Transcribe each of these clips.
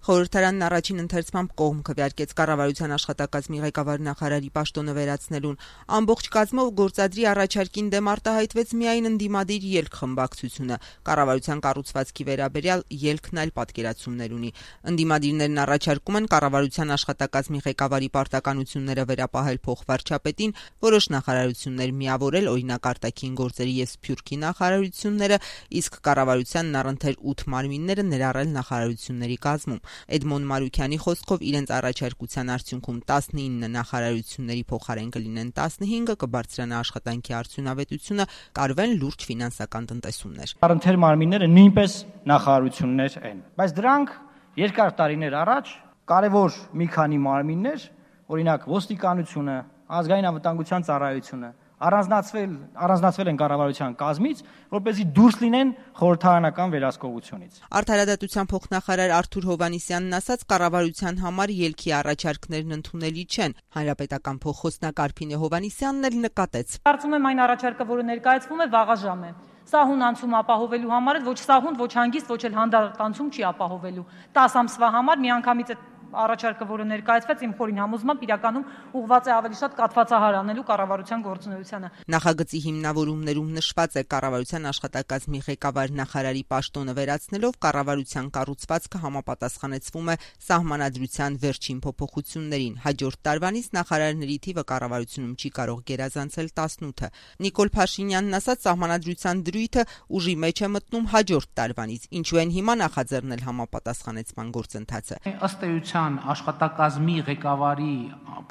Խորհրդարանն առաջին ընթերցմամբ կողմ քվեարկեց կառավարության աշխատակազմի ղեկավար նախարարի պաշտոնը վերացնելուն։ Ամբողջ կազմով գործադրի առաջարկին դեմ արտահայտվեց միայն ընդդիմադիր ելք խմբակցությունը։ Կառավարության կառուցվածքի վերաբերյալ ելքն այլ պատկերացումներ ունի։ Ընդդիմադիրներն առաջարկում են կառավարության աշխատակազմի ղեկավարի պարտականությունները վերապահել փոխվարչապետին, որոշ նախարարություններ միավորել, օրինակ արտաքին գործերի և սփյուռքի նախարարությունները, իսկ կառավարությանն առընթեր 8 մարմինները ներառել նախարարությունների կազմում։ Էդմոն Մարուքյանի խոսքով իրենց առաջարկության արդյունքում 19 նախարարությունների փոխարեն կլինեն 15, կբարձրանա աշխատանքի արդյունավետությունը, կարվեն լուրջ ֆինանսական տնտեսումներ։ Առընթեր մարմինները նույնպես նախարարություններ են, բայց դրանք երկար տարիներ առաջ կարևոր մի քանի մարմիններ, օրինակ ոստիկանությունը, ազգային անվտանգության ծառայությունը առանձնացվել են կառավարության կազմից, որպեսզի դուրս լինեն խորհրդարանական վերահսկողությունից։ Արդարադատության փոխնախարար Արթուր Հովհաննիսյանն ասաց, կառավարության համար ելքի առաջարկներն ընդունելի չեն։ Հանրապետական փոխխոսնակ Արփինե Հովհաննիսյանն էլ նկատեց. Կարծում եմ այն առաջարկը, որը ներկայացվում է, վաղաժամ է։ Սահուն անցում ապահովելու համար ոչ սահուն, ոչ հանգիստ, ոչ էլ հանդարտ անցում չի ապահովելու։ 10 ամսվա համար միանգամից առաջարկը, որը ներկայացվեց, իմ խորին համոզմամբ իրականում ուղղված է ավելի շատ կաթվածահար անելու կառավարության գործունեությանը։ Նախագծի հիմնավորումներում նշված է կառավարության աշխատակազմի ղեկավար նախարարի պաշտոնը վերացնելով կառավարության կառուցվածքը համապատասխանեցվում է սահմանադրության վերջին փոփոխություններին։ Հաջորդ տարվանից նախարարների թիվը կառավարությունում չի կարող գերազանցել 18-ը։ Նիկոլ Փաշինյանն ասաց, սահմանադրության դրույթը ուժի մեջ է մտնում հաջորդ տարվանից, ինչու են հիմա նախաձեռնել համապատասխանեցման գործընթացը։ Ըստ էության աշխատակազմի ղեկավարի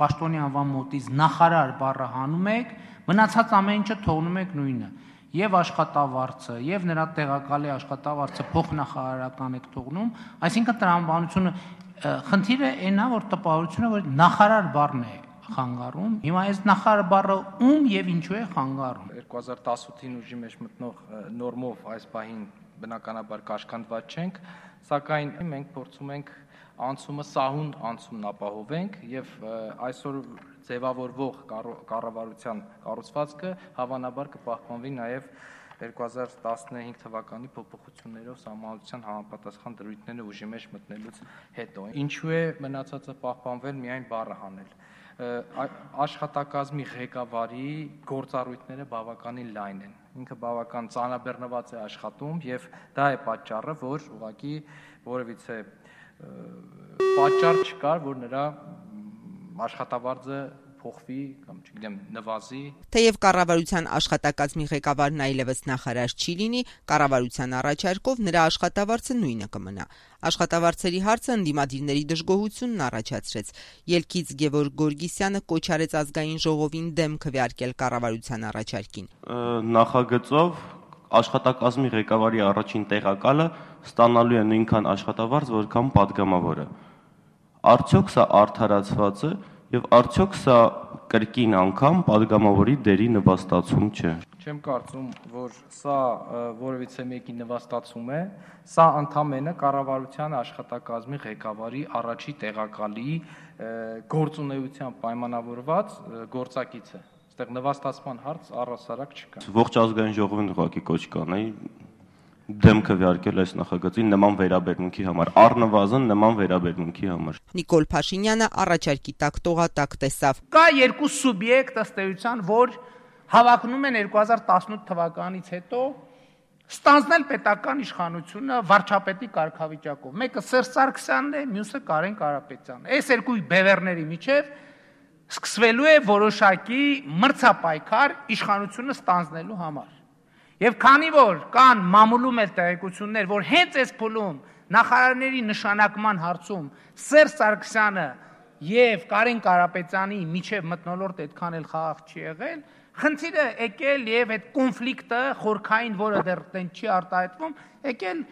պաշտոնի անվան մոտից նախարար բառը հանում եք, մնացած ամեն ինչը թողնում եք նույնը։ Եվ աշխատավարձը, եւ նրա տեղակալի աշխատավարձը փոխնախարարական եք թողնում, այսինքն տրամաբանությունը խնդիրը այնն է, որ տպավորությունը, որ նախարար բառն է խանգարում։ Հիմա այս նախարար բառը ում եւ ինչու է խանգարում։ 2018-ին ուժի մեջ մտնող նորմով այս պահին բնականաբար կաշկանդված չենք, սակայն մենք փորձում ենք անցումը սահուն անցումն ապահովենք եւ այսօր ձևավորվող կառավարության կառուցվածքը հավանաբար կպահպանվի նաեւ 2015 թվականի փոփոխություններով սահմանադրության համապատասխան դրույթները ուժի մեջ մտնելուց հետո։ Ինչու է մնացածը պահպանվել միայն բառը հանել։ Աշխատակազմի ղեկավարի գործառույթները բավականին լայն են։ Ինքը բավական ծանրաբեռնված է աշխատում եւ դա է պատճառը, որ ուղղակի որևիցե պատճառ չկար, որ նրա աշխատավարձը փոխվի կամ չգիտեմ նվազի։ Թեև կառավարության աշխատակազմի ղեկավարն այլևս նախարար չի լինի, կառավարության առաջարկով նրա աշխատավարձը նույնը կմնա։ Աշխատավարձերի հարցը ընդդիմադիրների դժգոհությունն առաջացրեց։ Ելքից Գևորգ Գորգիսյանը կոչ արեց ազգային ժողովին դեմ քվեարկել կառավարության առաջարկին։ Նախագծով աշխատակազմի ղեկավարի առաջին տեղակալը ստանալու է նույնքան աշխատավարձ, որքան падգամավորը։ Արդյոք սա արդարացված է եւ արդյոք սա կրկին անգամ падգամավորի դերի նվաստացում չէ։ Չեմ կարծում, որ սա որևիցե մեկի նվաստացում է, սա ընդամենը կառավարության աշխատակազմի ղեկավարի առաջի տեղակալի գործունեությամբ պայմանավորված գործակից է։ Այստեղ նվաստացման հարց առհասարակ չկա։ Ողջ ազգային ժողովին ուղղակի կոչ կանեի դեմ քվեարկել այս նախագծին նման վերաբերմունքի համար, առնվազն նման վերաբերմունքի համար։ Նիկոլ Փաշինյանը առաջարկի տակ տողատակ տեսավ։ Կա երկու սուբյեկտ ըստ էության, որ հավակնում են 2018 թվականից հետո ստանձնել պետական իշխանությունը վարչապետի կարգավիճակով։ Մեկը Սերժ Սարգսյանն է, մյուսը Կարեն Կարապետյանն։ Այս երկու բևեռների միջև սկսվելու է որոշակի մրցապայքար իշխանությունը ստանձնելու համար։ Եվ քանի որ կան մամուլում էլ տեղեկություններ, որ հենց այս փուլում նախարարների նշանակման հարցում Սերժ Սարգսյանը եւ Կարեն Կարապետյանի միջև մթնոլորտ այդքան էլ խաղաղ չի եղել, խնդիրը եկել եւ այդ կոնֆլիկտը խորքային, որը դեռ տեն չի արտահայտվում, եկել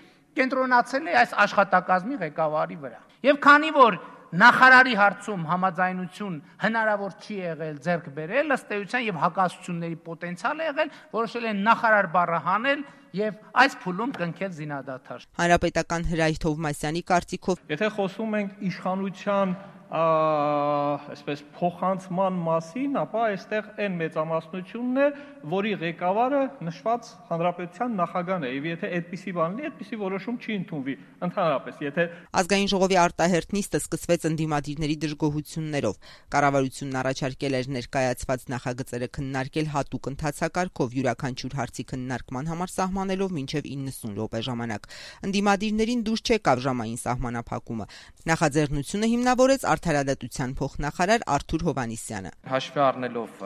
կենտրոնացել է այս աշխատակազմի ղեկավարի վրա։ Եվ քանի որ նախարարի հարցում համաձայնություն հնարավոր չի եղել ձեռք բերել, ըստ էության եւ հակասությունների պոտենցիալ է եղել, որոշել են նախարար բառը հանել եւ այս փուլում կնքել զինադադար։ Հանրապետական Հրայր Թովմասյանի կարծիքով, եթե խոսում ենք իշխանության այսպես փոխանցման մասին, ապա այստեղ այն մեծամասնությունն է, որի ղեկավարը նշված հանրապետության նախագահն է, եւ եթե այդպիսի բան լինի, այդպիսի որոշում չի ընդունվի ընդհանրապես, եթե Ազգային ժողովի արտահերթ նիստը սկսվեց ընդդիմադիրների դժգոհություններով։ Կառավարությունն առաջարկել էր ներկայացված նախագծերը քննարկել հատուկ ընթացակարգով յուրաքանչյուր հարցի քննարկման համար սահմանելով մինչև 90 րոպե ժամանակ։ Ընդդիմադիրներին դուրս չեկավ ժամային սահմանափակումը։ Նախաձեռնությունը հիմնավորեց Արդարադատության փոխնախարար Արթուր Հովհաննիսյանը։ Հաշվի առնելով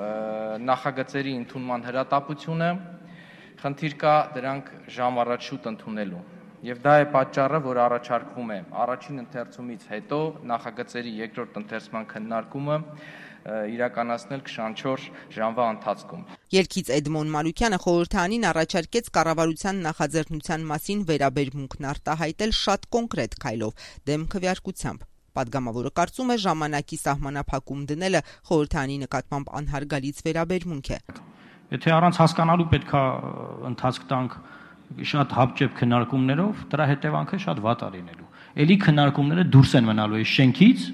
նախագծերի ընդունման հրատապությունը, խնդիր կա դրանք ժամ առաջ շուտ ընդունելու։ Եվ դա է պատճառը, որ առաջարկվում է առաջին ընթերցումից հետո նախագծերի երկրորդ ընթերցման քննարկումը իրականացնել 24 ժամվա ընթացքում։ Ելքից Էդմոն Մանուկյանը խորհրդարանին առաջարկեց կառավարության նախաձեռնության մասին վերաբերմունքն արտահայտել շատ կոնկրետ քայլով, դեմ քվեարկությամբ։ Պատգամավորը կարծում է ժամանակի սահմանափակում դնելը խորհրդարանի նկատմամբ անհարգալից վերաբերմունք է։ Եթե առանց հասկանալու պետքա ընթացք տանք շատ հապճեպ քննարկումներով, դրա հետևանքը շատ վատ է լինելու։ Էլի քննարկումները դուրս են մնալու այս շենքից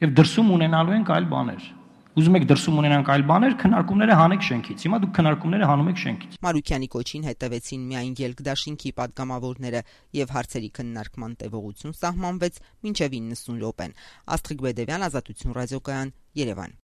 եւ դրսում ունենալու են այլ բաներ։ Ուզում եք դրսում ունենանք այլ բաներ, քննարկումները հանեք շենքից։ Հիմա դուք քննարկումները հանում եք շենքից։ Մարուկյանի կոչին հետևեցին միայն ելքդաշինքի պատգամավորները եւ հարցերի քննարկման տևողություն սահմանվեց մինչեւ 90 րոպեն։ Աստղիկ Բեդևյան, Ազատություն ռադիոկայան, Երևան։